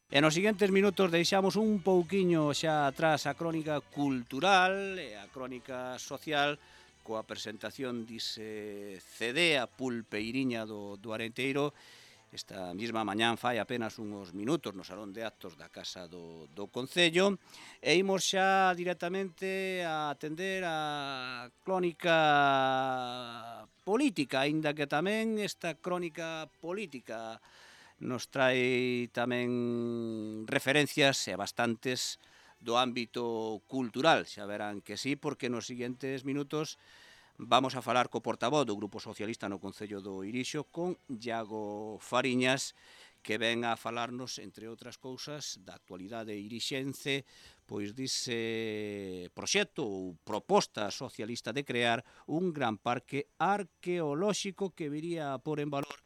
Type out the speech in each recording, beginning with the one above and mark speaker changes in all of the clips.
Speaker 1: E nos seguintes minutos deixamos un pouquiño xa atrás a crónica cultural e a crónica social coa presentación dise CD a pulpeiriña do Arenteiro esta mesma mañán fai apenas uns minutos no Salón de Actos da Casa do Concello e imos xa directamente a atender a crónica política, aínda que tamén esta crónica política nos trae tamén referencias e bastantes do ámbito cultural. Xa verán que sí, porque nos seguintes minutos vamos a falar co portavoz do Grupo Socialista no Concello do Irixo con Iago Fariñas, que ven a falarnos, entre outras cousas, da actualidade irixense, pois dise proxecto ou proposta socialista de crear un gran parque arqueolóxico que viría a pôr en valor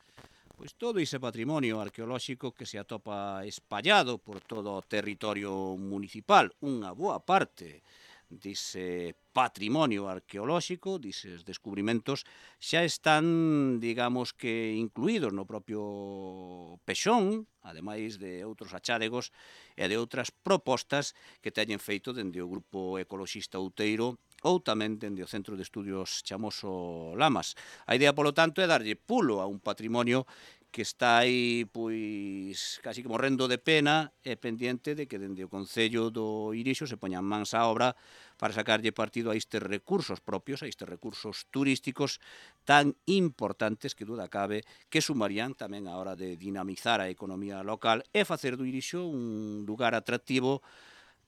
Speaker 1: pois todo ese patrimonio arqueolóxico que se atopa espallado por todo o territorio municipal. Unha boa parte dese patrimonio arqueolóxico, dises descubrimentos, xa están, digamos que, incluídos no propio Pexón, ademais de outros achádegos e de outras propostas que teñen feito dende o Grupo Ecoloxista Outeiro ou tamén dende o Centro de Estudios Chamoso Lamas. A idea, polo tanto, é darlle pulo a un patrimonio que está aí, pois, casi que morrendo de pena e pendiente de que dende o Concello do Irixo se poñan mans á obra para sacarlle partido a estes recursos propios, a estes recursos turísticos tan importantes que duda cabe que sumarían tamén a hora de dinamizar a economía local e facer do Irixo un lugar atractivo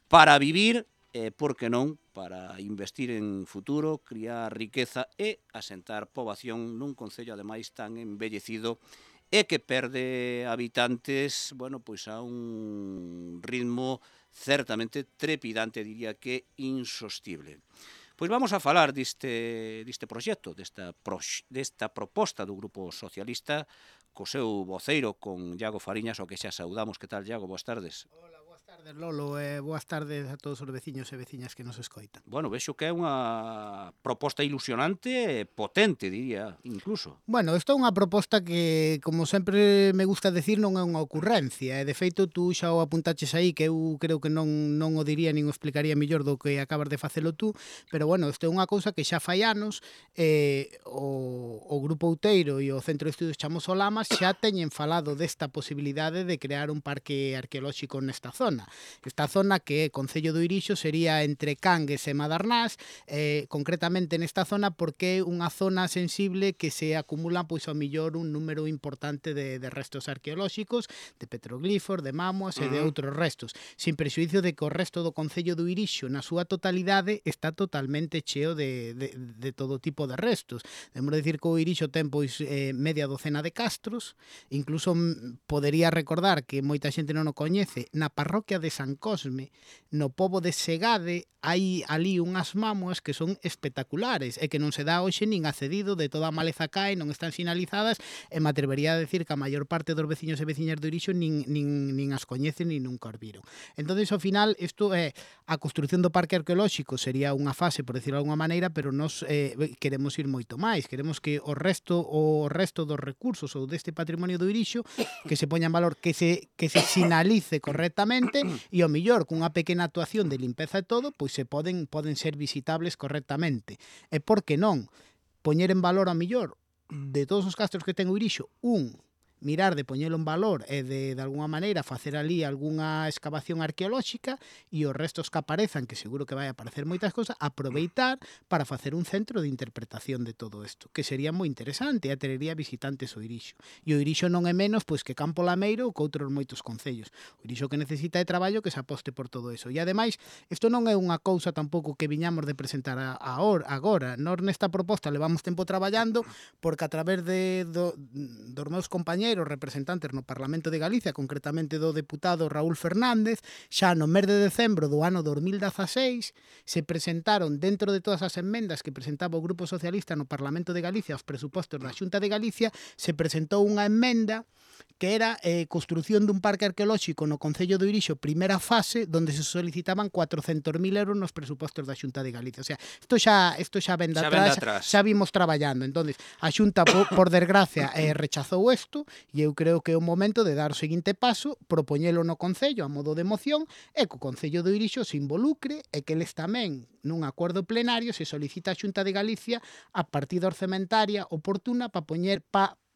Speaker 1: para vivir e, por que non, para investir en futuro, criar riqueza e asentar poboación nun concello ademais tan embellecido e que perde habitantes, bueno, pois a un ritmo certamente trepidante, diría que insostible. Pois vamos a falar deste proxecto, desta proposta do Grupo Socialista, co seu voceiro, con Iago Fariñas, o que xa saudamos. Que tal, Iago? Boas tardes.
Speaker 2: Hola, boas tardes, Lolo, e boas tardes a todos os veciños e veciñas que nos escoitan.
Speaker 1: Bueno, vexo que é unha proposta ilusionante e potente, diría, incluso.
Speaker 2: Bueno, isto é unha proposta que, como sempre me gusta decir, non é unha ocurrencia. E, de feito, tú xa o apuntaches aí, que eu creo que non o diría nin o explicaría mellor do que acabas de facelo tú, pero, bueno, isto é unha cousa que xa fai anos o Grupo Outeiro e o Centro de Estudios Chamoso Lamas xa teñen falado desta posibilidade de crear un parque arqueolóxico nesta zona. Esta zona que é Concello do Irixo sería entre Cangues e Madarnás, concretamente nesta zona porque é unha zona sensible que se acumulan pois ao millor un número importante de restos arqueolóxicos, de petroglifos, de mámoas e de outros restos, sin prexuicio de que o resto do Concello do Irixo na súa totalidade está totalmente cheo de todo tipo de restos. Debemos decir que o Irixo ten pois media docena de castros, incluso podería recordar que moita xente non o coñece, na parroquia de San Cosme, no pobo de Segade, hai ali unhas mámoas que son espectaculares e que non se dá hoxe nin accedido, de toda a maleza cae, non están sinalizadas e me atrevería a decir que a maior parte dos veciños e veciñas do Irixo nin as coñecen nin nunca os viron. Entonces, ao final, isto é a construción do parque arqueolóxico sería unha fase, por decirlo de alguma maneira, pero nós queremos ir moito máis, queremos que o resto dos recursos ou deste patrimonio do Irixo que se poña en valor, que se sinalice correctamente e ao millor cunha pequena actuación de limpeza e todo, pois se poden ser visitables correctamente. E por que non poñer en valor ao millor de todos os castros que ten o Irixo, mirar de poñelo en valor e de alguna maneira facer ali algunha excavación arqueolóxica e os restos que aparezan, que seguro que vai aparecer moitas cousas, aproveitar para facer un centro de interpretación de todo isto, que sería moi interesante e atraería visitantes ao Irixo. E o Irixo non é menos pois que Campo Lameiro ou que outros moitos concellos. O Irixo que necesita é traballo que se aposte por todo eso. E ademais, isto non é unha cousa tampouco que viñamos de presentar agora. Nós nesta proposta levamos tempo traballando porque a través dos meus compañeros representantes no Parlamento de Galicia, concretamente do deputado Raúl Fernández, xa no mes de decembro do ano 2016 se presentaron, dentro de todas as enmendas que presentaba o Grupo Socialista no Parlamento de Galicia aos presupostos da Xunta de Galicia, se presentou unha emenda que era construción dun parque arqueolóxico no Concello do Irixo, primeira fase, donde se solicitaban 400.000 euros nos presupostos da Xunta de Galicia. O sea, isto xa ven de atrás, xa vimos traballando. Entonces, a Xunta, por desgracia, rechazou isto E eu creo que é o momento de dar o seguinte paso, propoñelo no Concello a modo de moción e que o Concello do Irixo se involucre e que eles tamén, nun acordo plenario, se solicita a Xunta de Galicia a partida orzamentaria oportuna para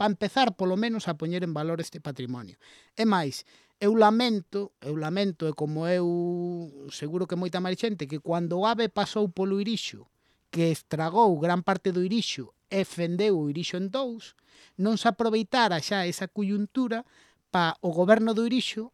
Speaker 2: empezar polo menos a poñer en valor este patrimonio. E máis, eu lamento, e como eu seguro que moita máis xente, que cando o AVE pasou polo Irixo, que estragou gran parte do Irixo e fendeu o Irixo en dous, non se aproveitara xa esa coyuntura para o goberno do Irixo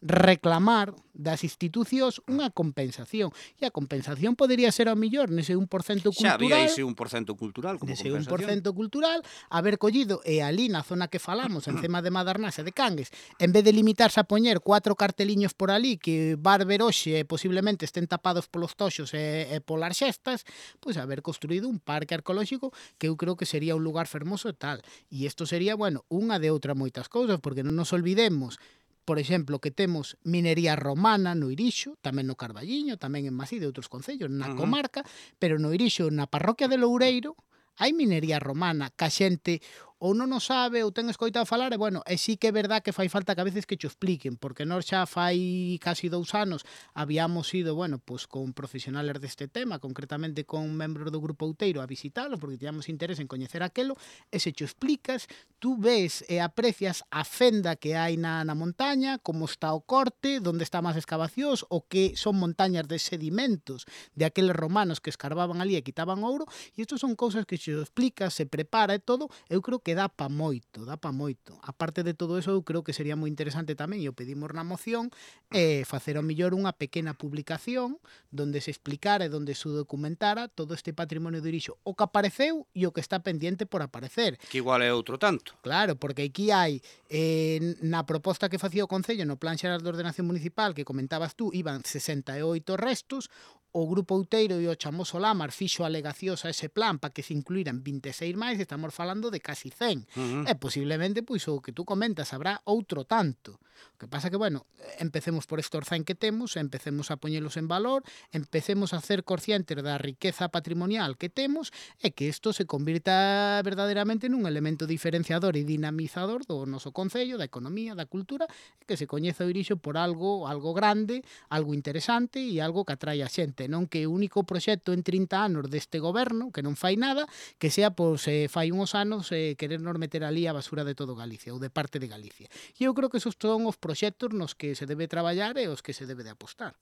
Speaker 2: reclamar das institucións unha compensación. E a compensación podería ser ao millor nese 1% cultural.
Speaker 1: Xa había ese 1% cultural como
Speaker 2: nese
Speaker 1: compensación.
Speaker 2: 1% cultural, haber collido e ali na zona que falamos, encima de Madernás e de Cangues, en vez de limitarse a poñer 4 carteliños por ali que bar ver hoxe posiblemente estén tapados polos toxos e polas xestas, pois haber construído un parque arqueolóxico que eu creo que sería un lugar fermoso e tal. E isto sería, bueno, unha de outra moitas cousas, porque non nos olvidemos, por exemplo, que temos minería romana no Irixo, tamén no Carballiño, tamén en Maside e outros concellos, na comarca, pero no Irixo, na parroquia de Loureiro, hai minería romana, que a xente ou non o sabe ou ten escoitado falar, e bueno, e sí que é verdad que fai falta que a veces que cho expliquen, porque nós xa fai casi 2 anos habíamos ido, bueno, pues con profesionales deste tema, concretamente con membros do Grupo Outeiro a visitalo, porque tiñamos interés en coñecer aquelo, e se cho explicas, tú ves e aprecias a fenda que hai na montaña, como está o corte, onde están as excavacións, o que son montañas de sedimentos de aqueles romanos que escarbaban ali e quitaban ouro, e isto son cousas que se explicas, se prepara e todo, eu creo que dá pa moito, dá pa moito. A parte de todo eso, eu creo que sería moi interesante tamén, e o pedimos na moción, facer ao millor unha pequena publicación donde se explicara e donde se documentara todo este patrimonio do Irixo, o que apareceu e o que está pendiente por aparecer.
Speaker 1: Que igual é outro tanto.
Speaker 2: Claro, porque aquí hai, na proposta que facía o Concello no Plan Xeral de Ordenación Municipal que comentabas tú, iban 68 restos, o Grupo Outeiro e o Chamoso Lamar fixo alegacións a ese plan para que se incluíran 26 máis, estamos falando de casi 100. E posiblemente, pois, o que tú comentas, habrá outro tanto. O que pasa que, bueno, empecemos por estos 100 que temos, empecemos a poñelos en valor, empecemos a ser conscientes da riqueza patrimonial que temos e que isto se convirta verdadeiramente nun elemento diferenciador e dinamizador do noso Concello, da economía, da cultura, e que se coñeza o Irixo por algo grande, algo interesante e algo que atrae a xente, non que o único proxecto en 30 anos deste goberno, que non fai nada, que sea, pois, fai uns anos querernos meter ali a basura de todo Galicia ou de parte de Galicia. E eu creo que esos son os proxectos nos que se debe traballar e os que se debe de apostar.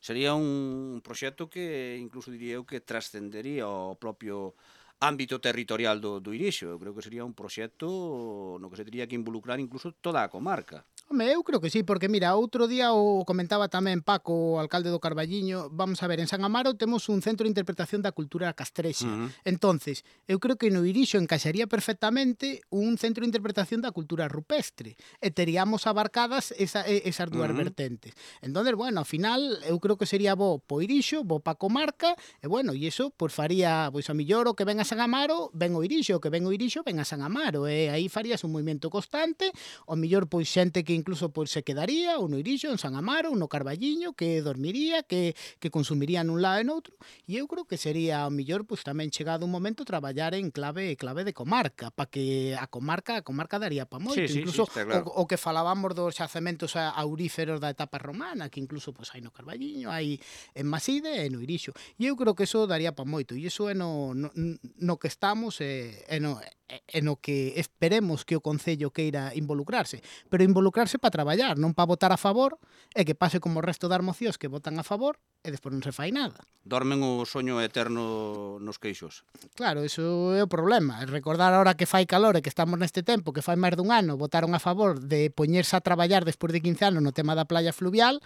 Speaker 1: Sería un proxecto que incluso diría eu que trascendería o propio ámbito territorial do Irixo. Eu creo que sería un proxecto no que se tería que involucrar incluso toda a comarca.
Speaker 2: Home, eu creo que sí, porque mira, outro día o comentaba tamén Paco, o alcalde do Carballiño, vamos a ver, en San Amaro temos un centro de interpretación da cultura castrexa. Entonces, eu creo que no Irixo encaixaría perfectamente un centro de interpretación da cultura rupestre e teríamos abarcadas esas dúas vertentes. Entonces, bueno, ao final, eu creo que sería bo po Irixo, bo pa comarca, e bueno, e iso, pois faría, pois a millor o que ven a San Amaro, ven o Irixo, o que ven o Irixo, ven a San Amaro, e aí farías un movimento constante, o millor, pois xente que incluso pois se quedaría ou no Irixo, en San Amaro, ou no Carballiño, que dormiría, que consumiría nun lado e noutro, e eu creo que sería ao mellor pois tamén chegado un momento traballar en clave de comarca, para que a comarca daría pa moito, incluso
Speaker 1: sí, claro.
Speaker 2: o que falábamos dos xacementos auríferos da etapa romana, que incluso pois hai no Carballiño, hai en Maside e no Irixo. E eu creo que eso daría pa moito, e iso é no que estamos e no que esperemos que o Concello queira involucrarse, pero involucrarse para traballar, non para votar a favor e que pase como o resto das mocións que votan a favor e despois non se fai nada.
Speaker 1: Dormen o soño eterno nos queixos.
Speaker 2: Claro, iso é o problema. Recordar ahora que fai calor e que estamos neste tempo, que fai máis dun ano, votaron a favor de poñerse a traballar despois de 15 anos no tema da playa fluvial,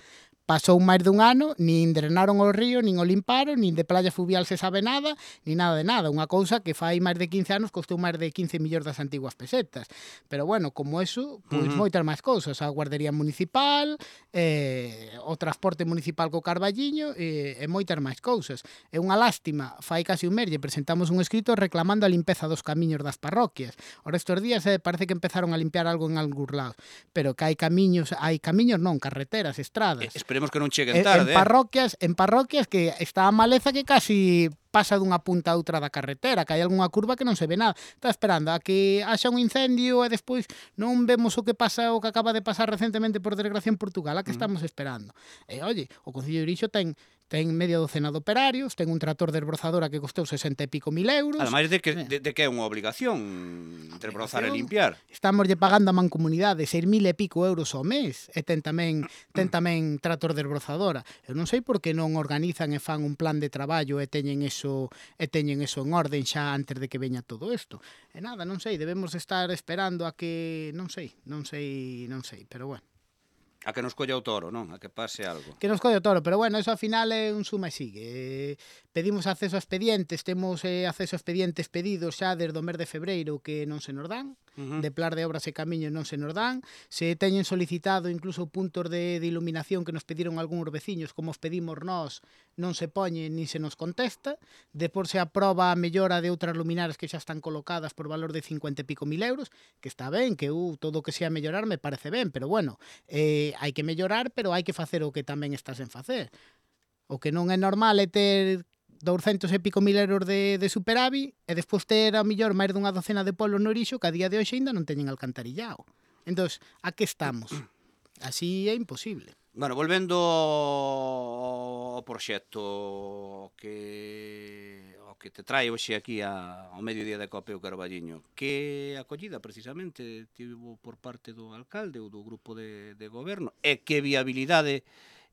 Speaker 2: pasou máis dun ano, nin drenaron o río, nin o limparon, nin de playa fluvial se sabe nada, nin nada de nada. Unha cousa que fai máis de 15 anos costou máis de 15 millóns das antiguas pesetas. Pero bueno, como eso, pois moitas máis cousas. A guardería municipal, o transporte municipal co Carballiño e moitas máis cousas. É unha lástima, fai casi un mes lle presentamos un escrito reclamando a limpeza dos camiños das parroquias. Ora estes días parece que empezaron a limpiar algo en algúns lados, pero que hai camiños non, carreteras, estradas.
Speaker 1: Esperemos que non cheguen tarde.
Speaker 2: En parroquias que está a maleza que casi pasa dunha punta a outra da carretera, que hai algunha curva que non se ve nada. Está esperando a que haxa un incendio e despois non vemos o que pasa, o que acaba de pasar recentemente por desgracia en Portugal, a que estamos esperando. E, oye, o Concello de Irixo ten media docena de operarios, ten un trator de esbrozadora que costou 60 e pico mil euros.
Speaker 1: Ademais de que é unha obligación desbrozar e limpiar.
Speaker 2: Estamos lle pagando a mancomunidade 6.000 e pico euros ao mes e ten tamén trator de esbrozadora. Eu non sei por que non organizan e fan un plan de traballo e teñen eso en orden xa antes de que veña todo isto. E nada, non sei, debemos estar esperando a que non sei, pero bueno.
Speaker 1: A que nos colla o toro, non? A que pase algo.
Speaker 2: Que nos colle o toro, pero bueno, eso ao final é un suma e sigue. Pedimos acceso a expedientes, temos acceso a expedientes pedidos xa desde o mes de febreiro que non se nos dan, de Plan de Obras e Camiños non se nos dan, se teñen solicitado incluso puntos de iluminación que nos pediron algúns veciños, como os pedimos nós, non se poñen ni se nos contesta, depois se aproba a mellora de outras luminarias que xa están colocadas por valor de 50 e pico mil euros, que está ben, que todo o que sea mellorar me parece ben, pero bueno, hai que mellorar, pero hai que facer o que tamén estás en facer. O que non é normal é ter 200 e pico mil euros de superávit e despois ter a mellor máis dunha docena de polos no Irixo que a día de hoxe ainda non teñen alcantarillado. Entón, a que estamos? Así é imposible.
Speaker 1: Bueno, volvendo ao proxecto que te trae hoxe aquí ao mediodía de Copeo Carballiño, que acollida precisamente tivo por parte do alcalde ou do grupo de goberno e que viabilidade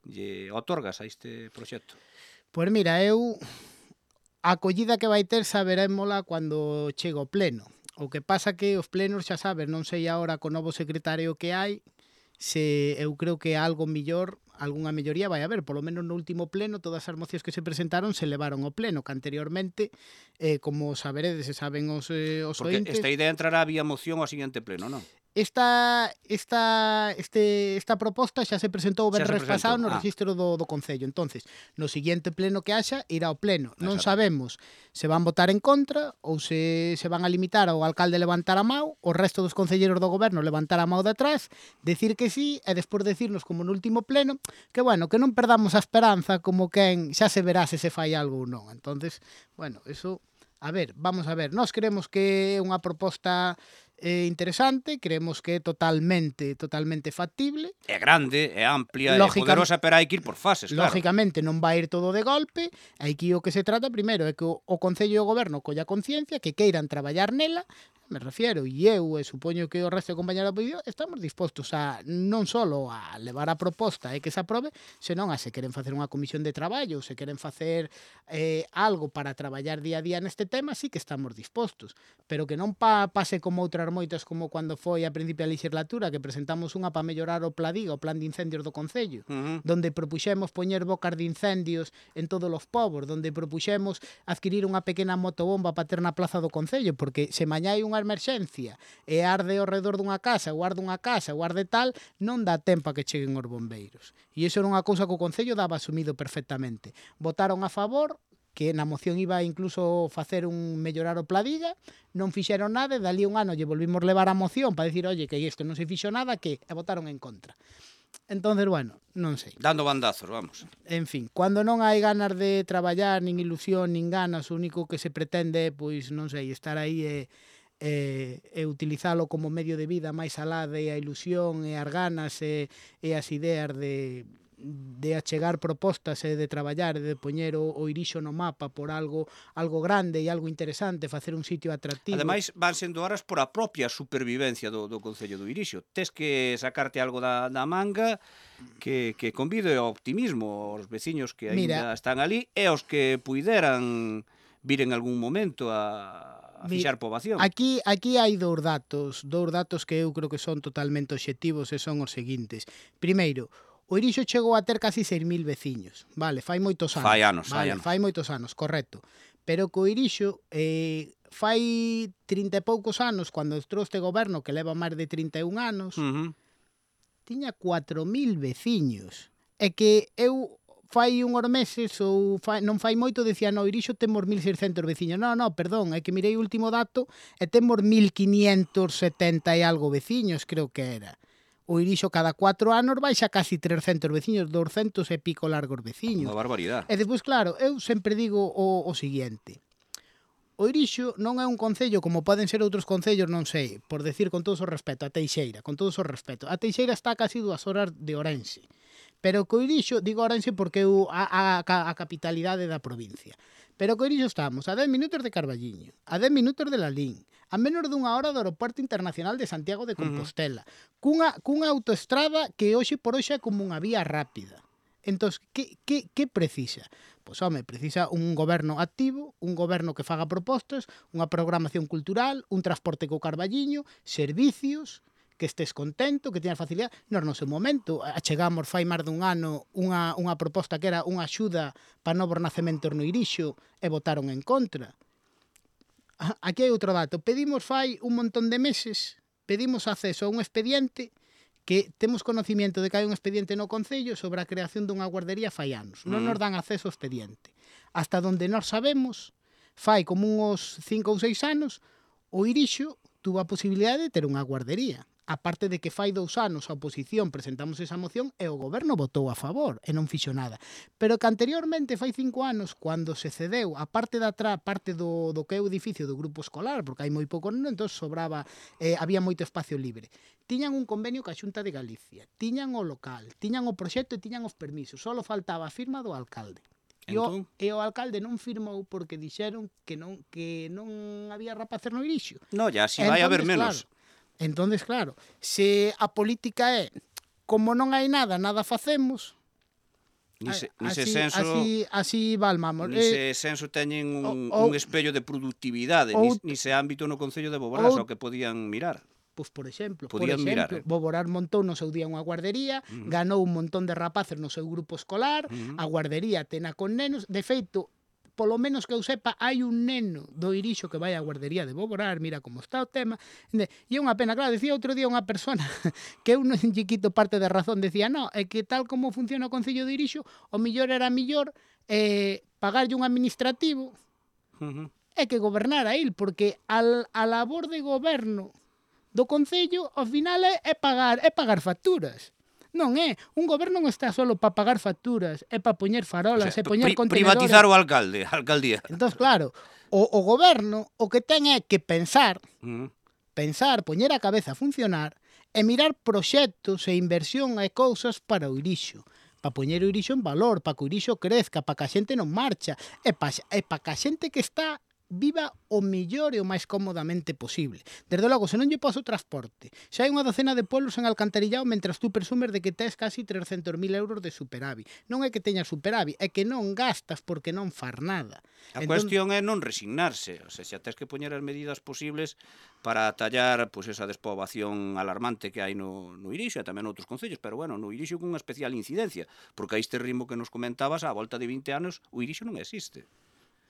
Speaker 1: lle otorgas a este proxecto?
Speaker 2: Pois mira, a acollida que vai ter saberémola cando chega o pleno. O que pasa que os plenos, xa sabes, non sei agora co novo secretario que hai, se eu creo que algo mellor, algunha melloría vai haber, polo menos no último pleno todas as mocións que se presentaron se levaron ao pleno, que anteriormente, como saberedes e saben os
Speaker 1: Porque
Speaker 2: ointes...
Speaker 1: esta idea entrará vía moción ao seguinte pleno, non?
Speaker 2: Esta proposta xa se presentou o venres pasado no rexistro do Concello. Entonces, no seguinte pleno que haxa, irá ao pleno. Non sabemos se van votar en contra ou se van a limitar ao alcalde levantar a mão, o resto dos concelleiros do goberno levantar a mão de atrás, decir que sí, e despois decirnos como no último pleno, que bueno, que non perdamos a esperanza como quen xa se verá se fai algo ou non. Entonces, bueno, eso... A ver, vamos a ver. Nós creemos que é unha proposta interesante, creemos que é totalmente factible.
Speaker 1: É grande, é amplia, é poderosa, pero hai que ir por fases, claro.
Speaker 2: Lógicamente non vai ir todo de golpe, aquí o que se trata primeiro é que o Concello e o Goberno colla conciencia, que queiran traballar nela, me refiero, e eu supoño que o resto de compañeros da oposición estamos dispostos a non só a levar a proposta e que se aprobe, senón a se queren facer unha comisión de traballo, se queren facer algo para traballar día a día neste tema, sí que estamos dispostos, pero que non pase como outras moitas como cando foi a principio da legislatura que presentamos unha para mellorar o Pladiga, o Plan de Incendios do Concello, donde propuxemos poñer bocas de incendios en todos os povos, donde propuxemos adquirir unha pequena motobomba para ter na plaza do Concello, porque se mañá hai unha emerxencia e arde ao redor dunha casa, ou arde tal, non dá tempo a que cheguen os bombeiros. E iso era unha cousa que o Concello daba asumido perfectamente. Votaron a favor, que na moción iba incluso facer un mellorar o Pladiga, non fixeron nada, e dali un ano lle volvimos levar a moción para dicir, oye, que isto non se fixo nada, que e votaron en contra. Entonces, bueno, non sei.
Speaker 1: Dando bandazos, vamos.
Speaker 2: En fin, cando non hai ganas de traballar, nin ilusión, nin ganas, o único que se pretende, pois, non sei, estar aí e utilizalo como medio de vida máis alá de a ilusión e as ganas e as ideas de achegar propostas e de traballar e de poñer o Irixo no mapa por algo grande e algo interesante, facer un sitio atractivo.
Speaker 1: Ademais, van sendo horas por a propia supervivencia do Concello do Irixo. Tes que sacarte algo da manga que convide ao optimismo aos veciños que ainda están ali e aos que puideran vir en algún momento a fixar poboación.
Speaker 2: Aquí hai dous datos que eu creo que son totalmente obxectivos e son os seguintes. Primeiro, o Irixo chegou a ter casi 6.000 veciños, vale, fai moitos anos. Fai moitos anos, correcto. Pero co Irixo fai 30 e poucos anos, cando entrou este goberno que leva máis de 31 anos, tiña 4.000 veciños. E que eu fai unhos meses ou non fai moito decía, no, Irixo temos 1.600 veciños. No, perdón, é que mirei o último dato e temos 1.570 e algo veciños, creo que era. O Irixo cada 4 anos baixa casi 300 veciños, 200 e pico largos veciños.
Speaker 1: Unha barbaridade.
Speaker 2: E despois, claro, eu sempre digo o seguinte. O Irixo non é un concello como poden ser outros concellos, non sei, por decir con todo o respeto, a Teixeira, con todo o respeto. A Teixeira está a casi 2 horas de Ourense. Pero co Irixo, digo Ourense porque é a capitalidade da provincia. Pero co Irixo estamos a 10 minutos de Carballiño, a 10 minutos de Lalín, a menos dunha hora do Aeroporto Internacional de Santiago de Compostela, cunha autoestrada que hoxe por hoxe é como unha vía rápida. Entón, que precisa? Pois, home, precisa un goberno activo, un goberno que faga propostas, unha programación cultural, un transporte co Carballiño, servicios, que estés contento, que teñas facilidade. Nos, no seu momento, achegamos fai máis dun ano unha proposta que era unha axuda para novos nacementos no Irixo e votaron en contra. Aquí hai outro dato. Pedimos fai un montón de meses, pedimos acceso a un expediente que temos conocimiento de que hai un expediente no Concello sobre a creación dunha guardería fai anos. Non nos dan acceso ao expediente. Hasta donde nós sabemos, fai como uns 5 ou 6 anos, o Irixo tuvo a posibilidade de ter unha guardería. Aparte de que fai 2 anos a oposición presentamos esa moción e o goberno votou a favor e non fixo nada. Pero que anteriormente, fai 5 anos, cando se cedeu a parte de atrás, parte do que é o edificio do grupo escolar, porque hai moi pouco, entón sobraba, había moito espacio libre. Tiñan un convenio ca Xunta de Galicia, tiñan o local, tiñan o proxecto e tiñan os permisos, só faltaba a firma do alcalde. E o alcalde non firmou porque dixeron que non había rapaces no Irixo.
Speaker 1: No, ya si vai haber menos.
Speaker 2: Entonces, claro, se a política é como non hai nada, nada facemos, así valmamos.
Speaker 1: Nise senso teñen un espello de productividade, nise ámbito no Concello de Boborás ao que podían mirar.
Speaker 2: Pois, por exemplo,
Speaker 1: mirar.
Speaker 2: Boborás montou no seu día unha guardería, ganou un montón de rapaces no seu grupo escolar, a guardería tena con nenos, de feito, polo menos que eu sepa, hai un neno do Irixo que vai á guardería de Boborás, mira como está o tema. E é unha pena, claro, decía outro día unha persona que eu non lle quito parte da razón, decía, no, é que tal como funciona o Concello de Irixo, o mellor era mellor pagarlle un administrativo e que gobernara il, porque a labor de goberno do Concello, ao final, é pagar facturas. Non é. Un goberno non está solo para pagar facturas, é para poñer farolas, e poñer contenedores.
Speaker 1: Privatizar o alcalde, a alcaldía.
Speaker 2: Entón, claro, o goberno o que ten é que pensar, poñer a cabeza a funcionar e mirar proxectos e inversión e cousas para o Irixo. Para poñer o Irixo en valor, para que o Irixo crezca, para que a xente non marcha, e para que a xente que está viva o mellor e o máis cómodamente posible. Desde logo, se non lle pos o transporte, xa hai unha docena de pueblos en alcantarillado mentras tú presumes de que tes casi 300.000 euros de superávit. Non é que teñas superávit, é que non gastas porque non far nada.
Speaker 1: A cuestión é non resignarse, o sea, xa tes que poñer as medidas posibles para atallar esa despoboación alarmante que hai no Irixo e tamén noutros concellos, pero bueno, no Irixo con unha especial incidencia, porque a este ritmo que nos comentabas, a volta de 20 anos, o Irixo non existe.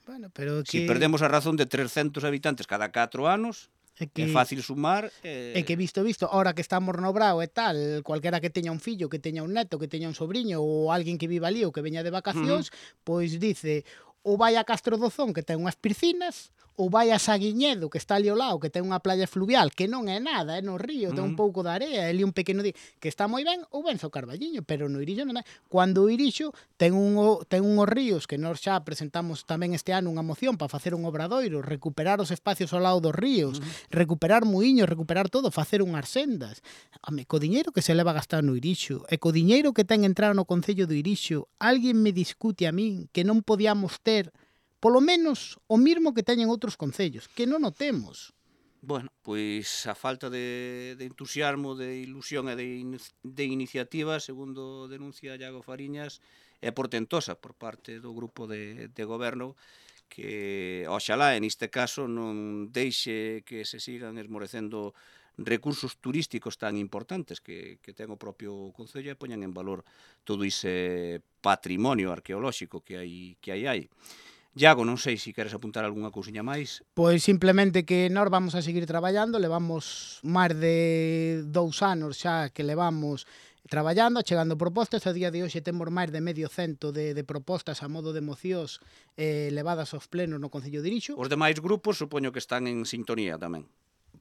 Speaker 2: Bueno, pero
Speaker 1: que... Si perdemos a razón de 300 habitantes cada 4 anos, é fácil sumar.
Speaker 2: É que visto, ahora que estamos no Brao e tal, cualquera que teña un fillo, que teña un neto, que teña un sobrinho ou alguén que viva ali ou que veña de vacacións, pois dice, ou vai a Castro Dozón, que ten unhas piscinas, ou vai a Saguiñedo, que está ali ao lado, que ten unha playa fluvial, que non é nada, é no río, ten un pouco de area, ali un pequeno que está moi ben, ou vense ao Carballiño, pero no Irixo non é. Cando o Irixo ten unhos ríos, que nós xa presentamos tamén este ano unha moción para facer un obradoiro, recuperar os espacios ao lado dos ríos, recuperar muiños, recuperar todo, facer unhas sendas. Home, co diñeiro que se leva a gastar no Irixo, e co diñeiro que ten entrado no Concello do Irixo, alguén me discute a min que non podíamos ter polo menos o mismo que teñen outros concellos, que non o temos.
Speaker 1: Bueno, pois a falta de entusiasmo, de ilusión e de iniciativa, segundo denuncia Iago Fariñas, é portentosa por parte do grupo de goberno que, oxalá, en este caso, non deixe que se sigan esmorecendo recursos turísticos tan importantes que ten o propio Concello e poñan en valor todo ese patrimonio arqueolóxico que hai. Iago, non sei se queres apuntar algunha cousiña máis.
Speaker 2: Pois simplemente que nós vamos a seguir traballando, levamos máis de 2 anos xa que levamos traballando, chegando propostas, a día de hoxe temos máis de 100 de propostas a modo de mocións levadas aos plenos no Concello de Irixo.
Speaker 1: Os demais grupos supoño que están en sintonía tamén.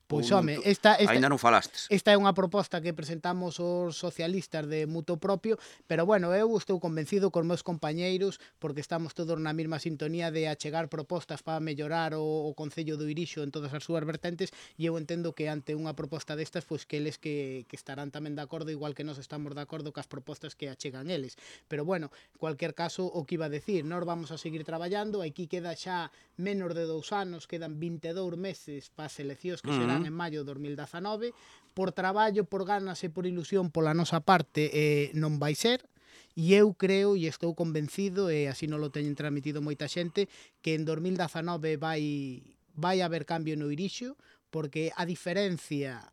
Speaker 2: Pois,
Speaker 1: Ou
Speaker 2: home, esta
Speaker 1: aínda non falastes?
Speaker 2: Esta é unha proposta que presentamos os socialistas de mutuo propio, pero bueno, eu estou convencido cos meus compañeiros porque estamos todos na mesma sintonía de achegar propostas para mellorar o Concello do Irixo en todas as súas vertentes, e eu entendo que ante unha proposta destas, pois que eles que estarán tamén de acordo, igual que nós estamos de acordo cas propostas que achegan eles. Pero bueno, en cualquier caso, o que iba a decir, nós vamos a seguir traballando, aquí queda xa menos de 2 anos, quedan 22 meses para as eleccións que serán en maio de 2019, por traballo, por ganas e por ilusión pola nosa parte non vai ser, e eu creo e estou convencido, e así non lo teñen transmitido moita xente, que en 2019 vai haber cambio no Irixo, porque a diferencia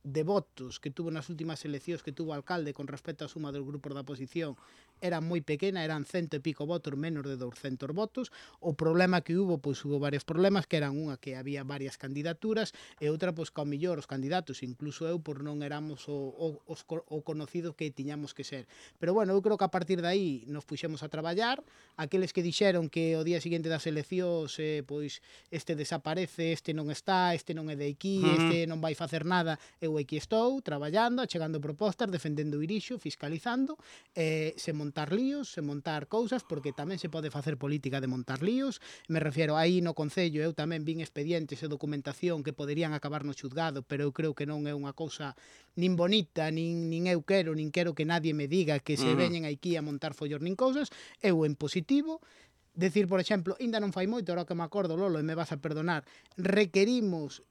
Speaker 2: de votos que tuvo nas últimas eleccións que tuvo o alcalde con respecto á suma dos grupos da oposición era moi pequena, eran 100 e pico votos, menos de 200 votos. O problema que hubo, pois hubo varios problemas, que eran unha que había varias candidaturas e outra, pois que ao millor os candidatos, incluso eu, pois non éramos o conocido que tiñamos que ser. Pero bueno, eu creo que a partir de aí nos puxemos a traballar. Aqueles que dixeron que o día seguinte das eleccións pois este desaparece, este non está, este non é de aquí, este non vai facer nada, eu aquí estou traballando, achegando propostas, defendendo o Irixo, fiscalizando, se montar líos, se montar cousas, porque tamén se pode facer política de montar líos. Me refiero, aí no Concello eu tamén vin expedientes e documentación que poderían acabar no xuzgado, pero eu creo que non é unha cousa nin bonita, nin eu quero, nin quero que nadie me diga que se veñen aquí a montar follos nin cousas. Eu en positivo decir, por exemplo, ainda non fai moito, ahora que me acordo, Lolo, e me vas a perdonar, requerimos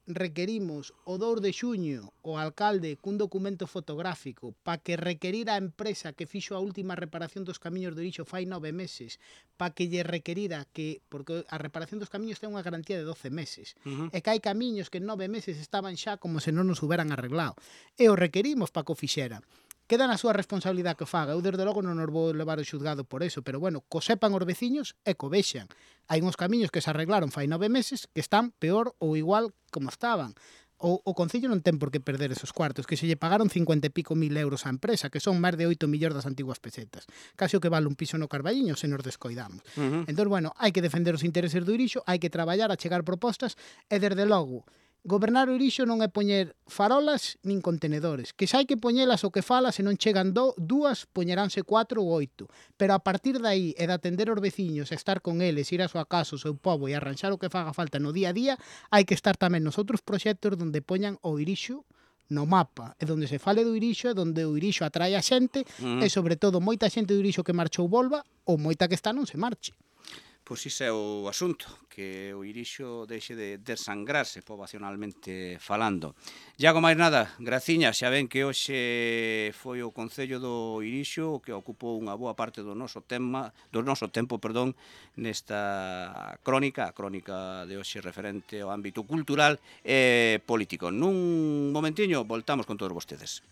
Speaker 2: o 2 de xuño o alcalde cun documento fotográfico para que requerira a empresa que fixo a última reparación dos camiños do Irixo fai 9 meses, para que lle requerira que, porque a reparación dos camiños ten unha garantía de 12 meses, e que hai camiños que en 9 meses estaban xa como se non nos huberan arreglado, e o requerimos para que o fixera. Queda na súa responsabilidade que o faga. Eu, desde logo, non nos vou levar o xuzgado por eso, pero, bueno, co sepan os veciños e co vexan. Hai uns camiños que se arreglaron fai 9 meses que están peor ou igual como estaban. O Concello non ten por que perder esos cuartos, que se lle pagaron 50 e pico mil euros á empresa, que son máis de 8 millóns das antiguas pesetas. Casi o que vale un piso no Carballiño se nos descoidamos. Entón, bueno, hai que defender os intereses do Irixo, hai que traballar, a chegar propostas, e, desde logo, gobernar o Irixo non é poñer farolas nin contenedores, que se hai que poñelas o que fala, se non chegan dúas, poñeránse 4 ou 8, pero a partir de aí e de atender os veciños, estar con eles, ir a súa casa, o seu pobo e arranxar o que faga falta no día a día, hai que estar tamén nos outros proxectos donde poñan o Irixo no mapa, e donde se fale do Irixo, e donde o Irixo atrae a xente, e sobre todo moita xente do Irixo que marchou volva, ou moita que está non se marche.
Speaker 1: Pois iso é o asunto, que o Irixo deixe de desangrarse poboacionalmente falando. Iago, máis nada, graciñas, xa ven que hoxe foi o Concello do Irixo o que ocupou unha boa parte do noso tempo, nesta crónica, a crónica de hoxe referente ao ámbito cultural e político. Nun momentiño voltamos con todos vostedes.